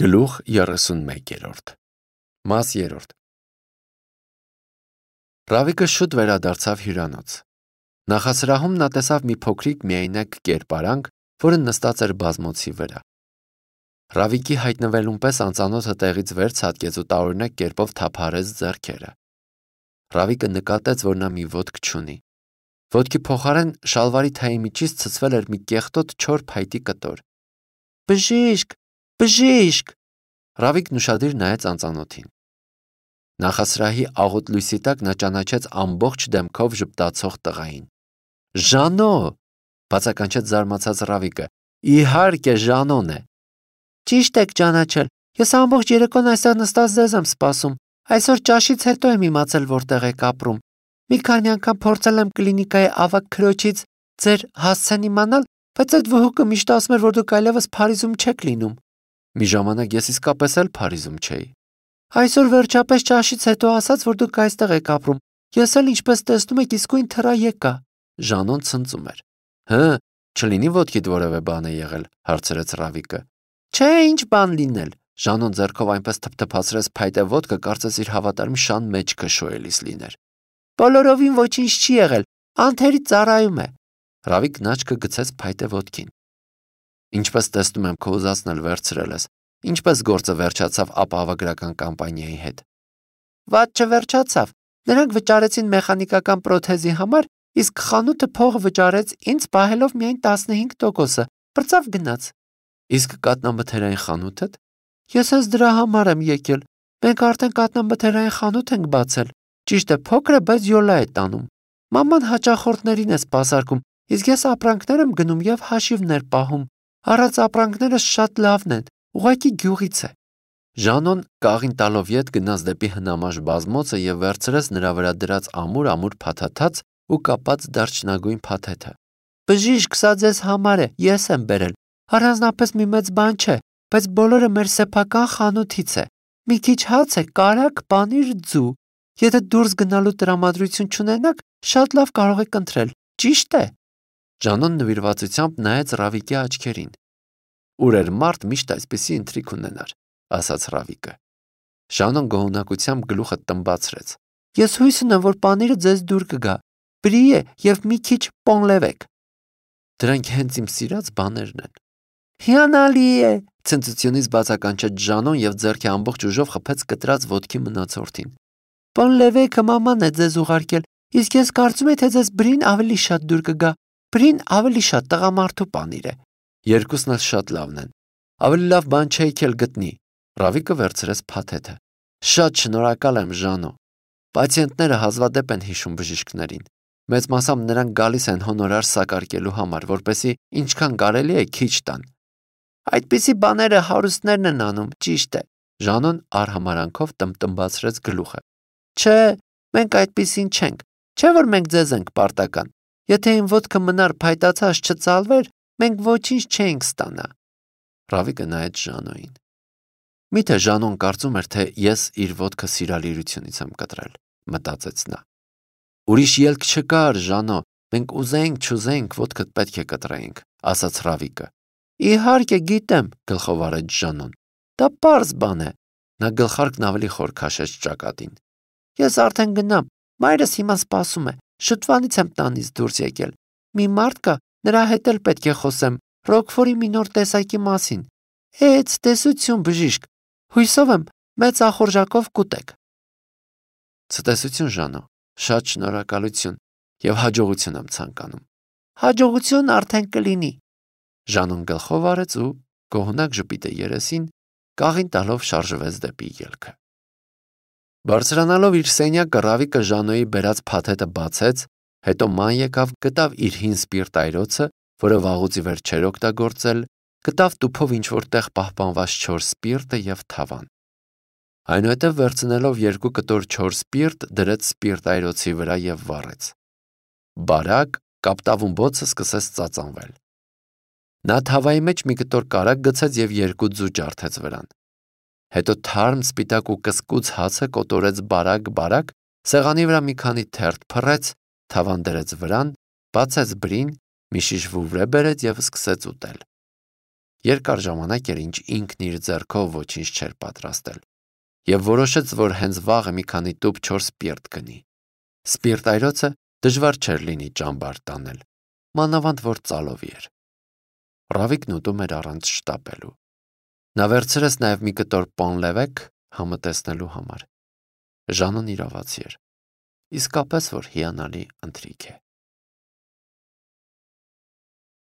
Գլուխ 31 Մաս 3 Ռավիկը շուտ վերադարձավ հյուրանոց։ Նախասրահում նա տեսավ մի փոքրիկ միայնակ կերպարանք, որը նստած էր բազմոցի վրա։ Ռավիկի հայտնվելուն պես անծանոթը տեղից վեր ցատկեց ու տարօրինակ կերպով թափահարեց ձեռքերը։ Ռավիկը նկատեց, որ նա մի ոտք չունի։ Ոտքի փոխարեն շալվարի թայի միջից ցցվել էր մի կեղտոտ չոր փայտի կտոր։ Բժիշկ, բժիշկ։ Ռավիկն ուշադիր նայեց անծանոթին։ Նախասրահի աղոտ լույսի տակ նա ճանաչեց ամբողջ դեմքով ժպտացող տղային։ Ժանո, բացականչեց զարմացած Ռավիկը։ Իհարկե Ժանոն է։ Ճիշտ եք ճանաչել։ Ես ամբողջ երեկոն այստեղ նստած ձեզ եմ սպասում։ Այսօր ճաշից հետո եմ իմացել, որտեղ եք ապրում։ Մի քանի անգամ փորձել եմ կլինիկայի ավագ քրոջից ձեր հասցեն իմանալ, բայց այդ վհուկը միշտ ասում էր, որ դուք այլևս Փարիզում չեք լինում։ Մի ժամանակ ես իսկապես էլ Փարիզում չէի։ Այսօր վերջապես ճաշից հետո ասաց, որ դուք այստեղ եք ապրում։ Ես էլ ինչպես տեսնում եք, իսկույն թռա եկա։ Ժանոն ցնծում էր։ Չլինի ոտքիդ որևէ բան է եղել, հարցրեց Ռավիկը։ Չէ, ինչ բան լինել։ Ժանոն ձեռքով այնպես թփթփացրեց փայտե ոտքը, կարծես իր հավատարիմ շան մեջքը շոյելիս լիներ։ Բոլորովին ոչինչ չի եղել, անթերի ծառայում է։ Ռավիկն աչքը գցեց փայտե ոտքին։ Ինչպես տեսնում եմ, քո ուզածն էլ վերցրել ես։ Ինչպես գործը վերջացավ ապահովագրական կամպանիայի հետ։ Վատ չվերջացավ։ Նրանք վճարեցին մեխանիկական պրոթեզի համար, իսկ խանութը փողը վճարեց ինձ պահելով միայն 15%-ը։ Պրծավ գնաց։ Իսկ կատնամթերային խանութդ։ Ես հենց դրա համար եմ եկել։ Մենք արդեն կատնամթերային խանութ ենք բացել։ Ճիշտ է, փոքր է, բայց յոլա է տանում։ Մաման հաճախորդներին է սպասարկում, իսկ ես ապրանքներ եմ գնում եւ հաշիվներ պահում։ Առած ապրանքները շատ լավն են, ուղղակի գյուղից է։ Ժանոն կաղին տալով ետ գնաց դեպի հնամաշ բազմոցը եւ վերցրեց նրա վրա դրած ամուր փաթաթած ու կապած դարչնագույն փաթեթը։ Բժիշկ, սա ձեզ համար է, ես եմ բերել։ Առանձնապես մի մեծ բան չէ, բայց բոլորը մեր սեփական խանութից է։ Մի քիչ հաց է, կարագ, պանիր, ձու։ Եթե դուրս գնալու տրամադրություն չունենաք, շատ լավ կարող եք ընտրել։ Ճիշտ է։ Ժանոն նվիրվածությամբ նայեց Ռավիկի աչքերին։ Ուր էր մարդ միշտ այսպիսի ընթրիք ունենար, ասաց Ռավիկը։ Ժանոն գոհունակությամբ գլուխը տմբացրեց։ Ես հույս ունեմ, որ պանիրը ձեզ դուր կգա։ Բրիե եւ մի քիչ պոնլևեք։ Դրանք հենց իմ սիրած բաներն են։ Հիանալի է, ցնծությունից բացականչեց Ժանոն եւ ձեռքի ամբողջ ուժով խփեց կտրած ոտքի մնացորդին։ Պոնլևեքը մաման է ձեզ ուղարկել, իսկ ես կարծում եմ, թե ձեզ բրին ավելի շատ դուր կգա։ Բրին ավելի շատ տղամարդու պանիր է։ Երկուսն էլ շատ լավն են։ Ավելի լավ բան չէիք էլ գտնի։ Ռավիկը վերցրեց փաթեթը։ Շատ շնորհակալ եմ, Ժանո։ Պացիենտները հազվադեպ են հիշում բժիշկներին։ Մեծ մասամբ նրանք գալիս են հոնորար սակարկելու համար, որպեսզի ինչքան կարելի է քիչ տան։ Այդպիսի բաները հարուստներն են անում, ճիշտ է։ Ժանոն արհամարանքով տմբացրեց գլուխը։ Չէ, մենք այդպիսին չենք։ Չէ՞ որ մենք ձեզ ենք պարտական։ Եթե իմ ոտքը մնար փայտացած չծալվեր, մենք ոչինչ չէինք ստանա։ Ռավիկը նայեց Ժանոյին։ Միթե Ժանոն կարծում էր, թե ես իր ոտքը սիրալիրությունից եմ կտրել, մտածեց նա։ Ուրիշ ելք չկար, Ժանո, մենք ուզեինք, չուզեինք, ոտքդ պետք է կտրեինք, ասաց Ռավիկը։ Իհարկե գիտեմ, գլխով արեց Ժանոն։ Դա պարզ բան է։ Նա գլխարկն ավելի խոր քաշեց ճակատին։ Ես արդեն գնամ, մայրս հիմա սպասում է, շուտվանից եմ տանից դուրս եկել։ Մի մարդ կա, նրա հետ էլ պետք է խոսեմ, Ռոկֆորի մի նոր տեսակի մասին։ Տեսություն, բժիշկ։ Հույսով եմ, մեծ ախորժակով կուտեք։ Ցտեսություն, Ժանո, շատ շնորհակալություն եւ հաջողություն եմ ցանկանում։ Հաջողություն արդեն կլինի։ Ժանոն գլխով արեց ու գոհունակ ժպիտը երեսին կաղին տալով շարժվեց դեպի ելքը։ Բարձրանալով իր սենյակը Ռավիկը Ժանոյի բերած փաթեթը բացեց, հետո ման եկավ, գտավ իր հին սպիրտայրոցը, որը վաղուց ի վեր չէր օգտագործել, գտավ տուփով ինչ-որ տեղ պահպանված չոր սպիրտը եւ թավան։ Այնուհետև վերցնելով 2 կտոր չոր սպիրտ, դրեց սպիրտայրոցի վրա եւ վառեց։ Բարակ կապտավուն բոցը սկսեց ծածանվել։ Նա թավայի մեջ մի կտոր կարագ գցեց եւ 2 ձու ջարդեց վրան։ Հետո թարմ սպիտակ ու կսկուց հացը կոտորեց բարակ, սեղանի վրա մի քանի թերթ փռեց, թավան դրեց վրան, բացեց բրին, մի շիշ վուվրե բերեց եւ սկսեց ուտել։ Երկար ժամանակ էր, ինչ ինքն իր ձեռքով ոչինչ չէր պատրաստել, եւ որոշեց, որ հենց վաղը մի քանի տուփ 4 սպիրտ գնի։ Սպիրտ այրոցը դժվար չէր լինի ճամբար տանել, մանավանդ որ ծալովի էր։ Ռավիկն ուտում էր առանց շտապելու։ Նա վերցրեց նաև մի կտոր պոնլևեք համը տեսնելու համար։ Ժանոն իրավացի էր։ Իսկապես որ հիանալի ընթրիք է։